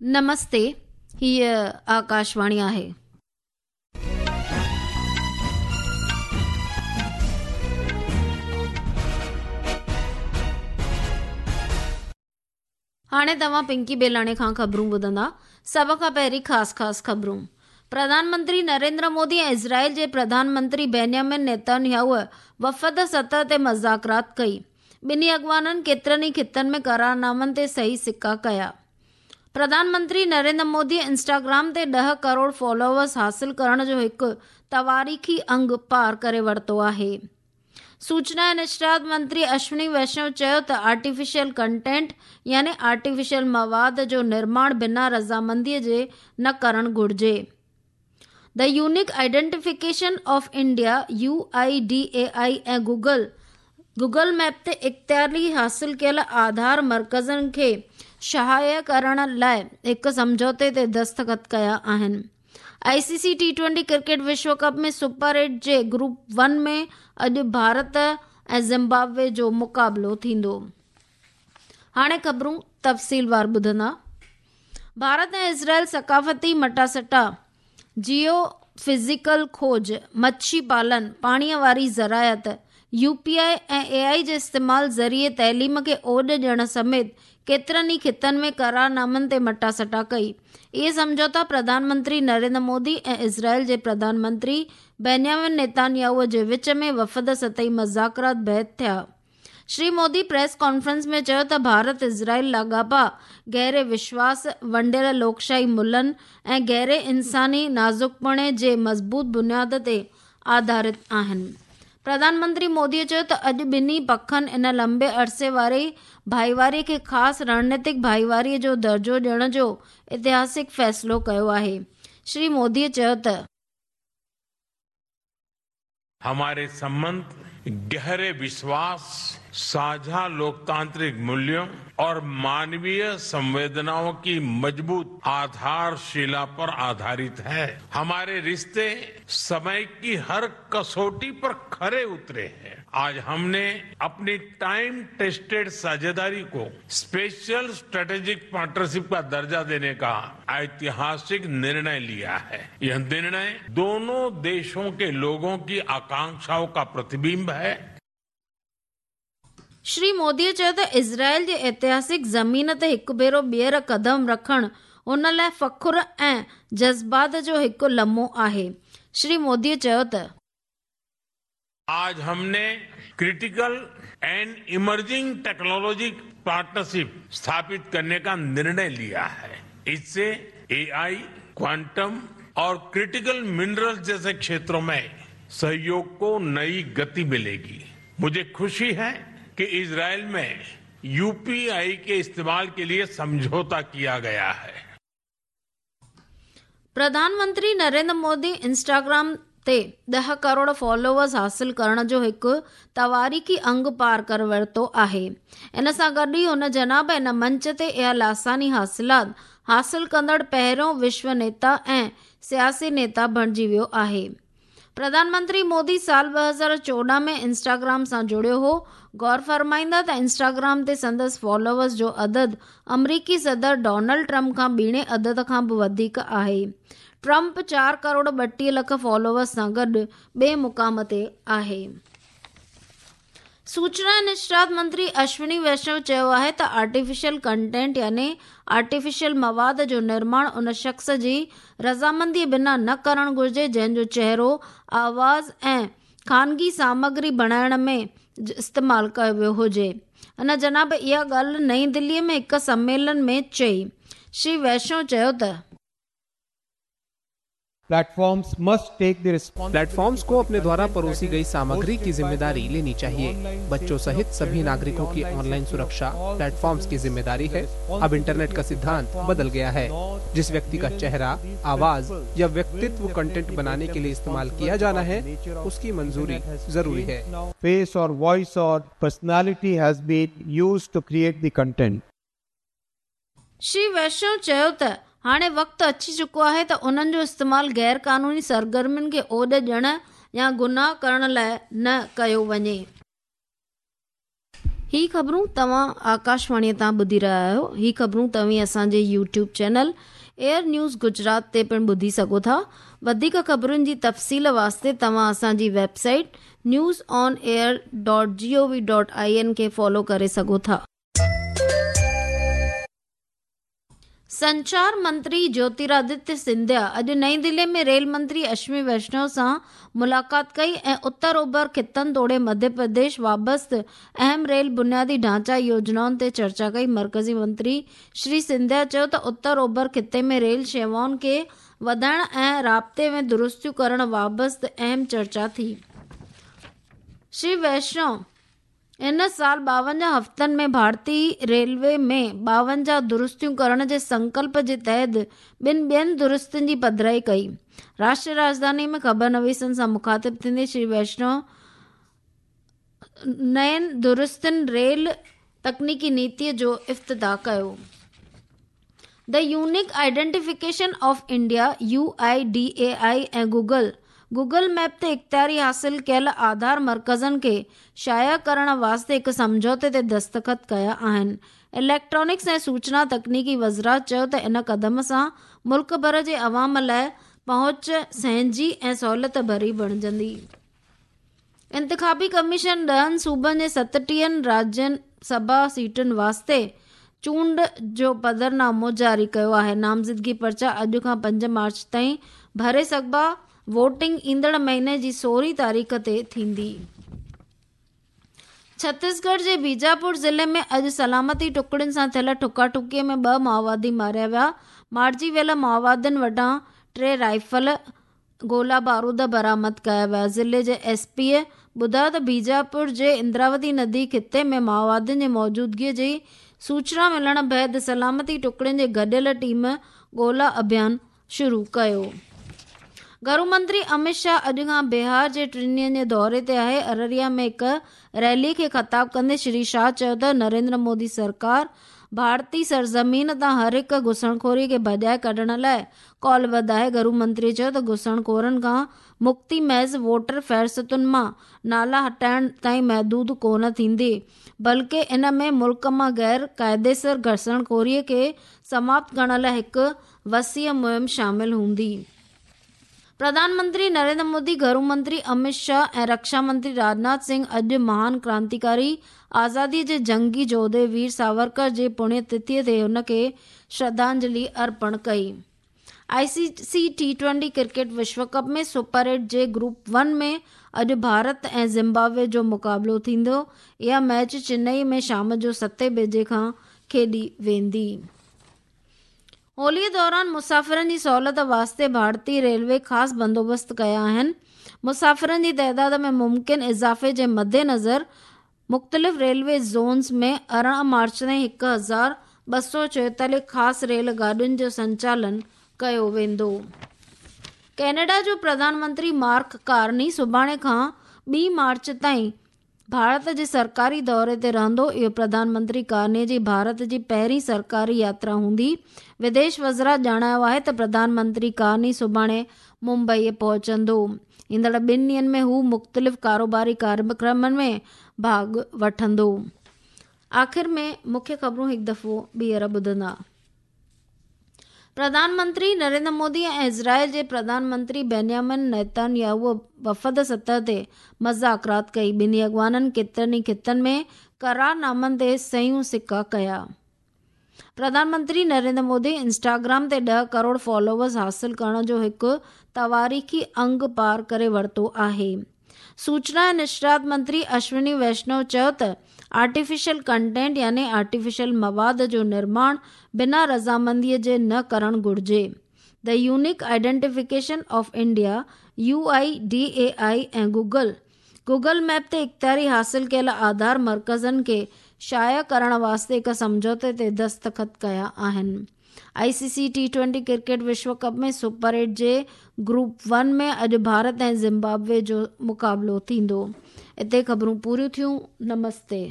نمستي هيء آڪاشواڻي آهي. هاڻي توهان پنڪي بيلاڻي کان خبرون ٻڌندا. سڀ کان پهرين خاص خاص خبرون. پرڌان منتري نريندر مودي ۽ اسرائيل جي پرڌان منتري بينيامن نيتنياهو وفد سطح تي مذاڪرات ڪئي. ٻنهي اڳواڻن ڪيترن ئي خطن ۾ قرارنامن تي صحيح سڪا ڪيا. پرڌان منتري نريندر مودي انسٽاگرام تي ڏهه ڪروڙ فالوورز حاصل ڪرڻ جو هڪ تواريخي انگ پار ڪري ورتو آهي. سوچنا ۽ نشريات منتري اشوني ويشنو چيو ته آرٽيفيشل ڪنٽينٽ يعني آرٽيفيشل مواد جو نرماڻ بنا رضامندي جي نه ڪرڻ گهرجي. The unique identification of India, U I D A I, ۽ Google Google map تي اختياري حاصل ڪيل آڌار مرڪزن کي شايع ڪرڻ لاء هڪ سمجهوتي تي دستخط ڪيا آهن. I C C T twenty cricket Vishu cup ۾ super eight جي گروپ ون ۾ اڄ ڀارت ۽ زمبابوي جو مقابلو ٿيندو. هاڻي خبرون تفصيلوار ٻڌندا. ڀارت ۽ اسرائيل ثقافتي مٽاسٽا، جيو فزيڪل کوج، مڇي پالن، پاڻي واري زراعت، يو پي آء ۽ اي آء جي استعمال ذريعي تعليم کي اوڏ ڏيڻ سميت ڪيترن ئي خطن ۾ قرارنامن تي مٽاسٽا ڪئي. اهي سمجهوتا پرڌان منتري نريندر مودي ۽ اسرائيل جي پرڌان منتري بينيامن نيتانياهو جي وچ ۾ وفد سطحي مذاڪرات بعد ٿيا. شري مودي پريس ڪانفرنس ۾ چيو ته ڀارت اسرائيل لاڳاپا گهري وشواس، ونڊيل لوڪشاهي ملهن ۽ گهري انساني نازڪپڻي جي مضبوط بنياد تي آڌارت آهن. پرڌان منتري مودي چيو ته اڄ ٻنهي پکن ان لمبي عرصي واري ڀائيواري کي خاص رڻنيتڪ ڀائيواري جو درجو ڏيڻ جو اتهاسڪ فيصلو ڪيو آهي. شري مودي چيو ته. هماري سنبنڌ گهري وشواس، ساجها لوڪتانترڪ موليون اور مانويه سنويدنائون ڪي مضبوط آڌارشلا پر آڌارت هي. هماري رشتي समय की हर कसौटी पर खरे उतरे हैं। आज हमने अपनी टाइम टेस्टेड साझेदारी को स्पेशल स्ट्रेटेजिक पार्टनरशिप का दर्जा देने का ऐतिहासिक निर्णय लिया है। यह निर्णय दोनों देशों के लोगों की आकांक्षाओं का प्रतिबिंब है। شري مودي چيو ته اسرائيل جي اتهاسڪ زمين تي هڪ ڀيرو ٻيهر قدم رکڻ هن لاء فخر ۽ جذبات جو هڪ لمحو آهي. شري مودي چيو ته. آج هم ني critical and emerging technology partnership اسٿاپت ڪرني ڪا نرڻي ليا هي. اس سي اي آئي، ڪوانٽم اور ڪرٽيڪل منرلز جيسي کيترون مين سهيوگ ڪو نئي گتي مليگي. مجهي خوشي هي ڪي اسرائيل مين يو پي آئي ڪي استعمال ڪي ليي سمجهوتا ڪيا گيا هي. پرڌان منتري نريندر مودي انسٽاگرام تي ڏهه ڪروڙ فالوورز حاصل ڪرڻ جو هڪ تواريخي انگ پار ڪري ورتو آهي. ان سان گڏ ئي هن جناب ان منچ تي اها لاثاني حاصلات حاصل ڪندڙ پهريون وشو نيتا ۽ سياسي نيتا بڻجي ويو آهي. پرڌان منتري مودي سال 2014 ۾ انسٽاگرام سان جڙيو هو. غور فرمائيندا ته انسٽاگرام تي سندس فالوورز جو عدد آمريڪي صدر ڊونلڊ ٽرمپ کان ٻيڻي عدد کان به وڌيڪ آهي. ٽرمپ چار ڪروڙ 32 لک فالوورز سان گڏ ٻئي مقام تي آهي. سوچنا ۽ نشريات منتري اشوني ويشنو چيو آهي ته آرٽيفيشل ڪنٽينٽ يعني آرٽيفيشل مواد جو نرماڻ ان شخص جي رضامندي بنا نه ڪرڻ گهرجي جنهن جو چهرو، آواز ۽ خانگي سامگري بڻائڻ ۾ استعمال ڪيو ويو هجي. هن جناب اها ڳالهه نئين دهلي ۾ هڪ سميلن ۾ چئي. شري ويشنو چيو ته. Platforms must take the platforms को अपने द्वारा परोसी गई सामग्री की जिम्मेदारी लेनी चाहिए। बच्चों सहित सभी नागरिकों की ऑनलाइन सुरक्षा प्लेटफॉर्म्स की जिम्मेदारी है। अब इंटरनेट का सिद्धांत बदल गया है। जिस व्यक्ति का चेहरा, आवाज या व्यक्तित्व कंटेंट बनाने के लिए इस्तेमाल किया जाना है, उसकी मंजूरी जरूरी है। फेस और वॉइस और personality has been used to create the content. Shri Vaishno چيو ته هاڻي وقت اچي چڪو آهي ته انهن جو استعمال غير قانوني سرگرمين کي اوڏ ڏيڻ يا گناهه ڪرڻ لاء نه ڪيو وڃي. هي خبرون توهان آڪاشواڻيء تان ٻڌي رهيا آهيو. هي خبرون توهين اسان جي YouTube channel AIR news Gujarat تي پڻ ٻڌي سگهو ٿا. وڌيڪ خبرن جي تفصيل واسطي توهان اسان جي website news on air dot G O V dot I N کي فالو ڪري سگهو ٿا. سنچار منتري جيوترادتيه سنڌيا اڄ نئين دهلي ۾ ريل منتري اشوني ويشنو سان ملاقات ڪئي ۽ اتر اوڀر خطن توڙي مڌيه پرديش وابسته اهم ريل بنيادي ڍانچا يوجنائن تي چرچا ڪئي. مرڪزي منتري شري سنڌيا چيو ته اتر اوڀر خطي ۾ ريل شيوائن کي وڌائڻ ۽ رابطي ۾ درستيون ڪرڻ وابسته اهم چرچا ٿي. شري ويشنو هن سال 52 هفتن ۾ ڀارتي ريلوي ۾ 52 درستيون ڪرڻ جي سنڪلپ جي تحت ٻن ٻين درستين جي پڌرائي ڪئي. راشٽريه راڄڌاني ۾ خبرنويسن سان مخاطب ٿيندي شري ويشنو نين درستين ريل تڪنيڪي نيتي جو افتتاح ڪيو. The unique identification of India, U I D A I, ۽ Google Google map تي اختياري حاصل ڪيل آڌار مرڪزن کي شايع ڪرڻ واسطي هڪ سمجهوتي تي دستخط ڪيا آهن. اليڪٽرانڪس ۽ سوچنا تڪنيڪي وزارت چيو ته ان قدم سان ملڪ ڀر جي عوام لاء پهچ سهنجي ۽ سهولت ڀري بڻجندي. انتخابي ڪميشن ڏهن صوبن جي ستٽيهن راجيه سڀا سيٽن واسطي چونڊ جو پڌرنامو جاري ڪيو آهي. نامزدگي پرچا اڄ کان پنج مارچ تائين ڀري سگهبا. ووٽنگ ايندڙ مهيني جي سورهين تاريخ تي ٿيندي. ڇتيسڳڙهه جي بيجاپور ضلعي ۾ اڄ سلامتي ٽڪڙين سان ٿيل ٺڪا ٺڪي ۾ ٻه مائووادي ماريا ويا. مارجي ويل مائووادين وٽان ٽي رائفل، گولا بارود برآمد ڪيا ويا. ضلعي جي ايس پيء ٻڌايو ته بيجاپور جي اندراوتي ندي خطي ۾ مائووادين جي موجودگي جي سوچنا ملڻ بعد سلامتي ٽڪڙين جي گڏيل ٽيم ڳولا اڀيان شروع ڪيو. گهرو منتري اميت شاهه اڄ کان بهار جي ٽن ڏينهن جي دوري تي آهي. ارريا ۾ هڪ ريلي کي خطاب ڪندي شري شاهه چيو ته نريندر مودي سرڪار ڀارتي سرزمين تان هر هڪ گهسڻخوري کي ڀڄائي ڪڍڻ لاء ڪالبڌ آهي. گهرو منتري چيو ته گهسڻخورن کان مڪتي محض ووٽر فهرستن مان نالا هٽائڻ تائين محدود ڪونه ٿيندي بلڪه ان ۾ ملڪ مان غير قاعديسر گهسڻخوري کي سماپت ڪرڻ لاء هڪ وسيع مهم شامل هوندي. پرڌان منتري نريندر مودي، گهرو منتري اميت شاهه ۽ رڪشا منتري راجناٿ سنگهه اڄ مهان ڪرانتيڪاري آزادي جي جنگي جوڌي وير ساورڪر جي پڻيه تٿيء تي هن کي شرڌانجلي ارپڻ ڪئي. I C C T twenty cricket Vishu cup ۾ super eight جي گروپ ون ۾ اڄ ڀارت ۽ زمبابوي جو مقابلو ٿيندو. اها ميچ چنئي ۾ شام جو ستين بجي کان کيڏي ويندي. هوليء دوران مسافرن جي سهولت واسطي ڀارتي ريلوي خاص بندوبست ڪيا آهن. مسافرن جي تعداد ۾ ممڪن اضافي جي مدنظر مختلف ريلوي زونز ۾ 18 مارچ تائين 1244 خاص ريل گاڏين جو سنچالن ڪيو ويندو. ڪينيڊا جو پرڌان منتري مارڪ ڪارني سڀاڻي کان ٻي مارچ تائين ڀارت جي سرڪاري دوري تي رهندو. اهو پرڌان منتري ڪارني جي ڀارت جي پهرين سرڪاري ياترا هوندي. وديش وزارت ڄاڻايو آهي ته پرڌان منتري ڪارني سڀاڻي ممبئي پهچندو. ايندڙ ٻن ڏينهن ۾ هو مختلف ڪاروباري ڪاريڪرمن ۾ ڀاڳ وٺندو. آخر ۾ مکيه خبرون هڪ دفعو ٻيهر ٻڌندا. پرڌان منتري نريندر مودي ۽ اسرائيل جي پرڌان منتري بينيامن نيتن ياهو وفد سطح تي مذاڪرات ڪئي. ٻنهي اڳواڻن ڪيترن ئي خطن ۾ قرارنامن تي صحيحون سڪا ڪيا. پرڌان منتري نريندر مودي انسٽاگرام تي ڏهه ڪروڙ فالوورز حاصل ڪرڻ جو هڪ تواريخي انگ پار ڪري ورتو آهي. سوچنا ۽ نشريات منتري اشوني ويشنو چيو ته آرٽيفيشل ڪنٽينٽ يعني آرٽيفيشل مواد جو نرماڻ بنا رضامندي جي نه ڪرڻ گهرجي. The unique identification of India, U I D A I, ۽ Google Google map تي اختياري حاصل ڪيل آڌار مرڪزن کي شايع ڪرڻ واسطي هڪ سمجهوتي تي دستخط ڪيا آهن. I C C T twenty cricket Vishu cup ۾ super eight جي گروپ ون ۾ اڄ ڀارت ۽ زمبابوي جو مقابلو ٿيندو. اتي خبرون پوريون ٿيون. نمستي.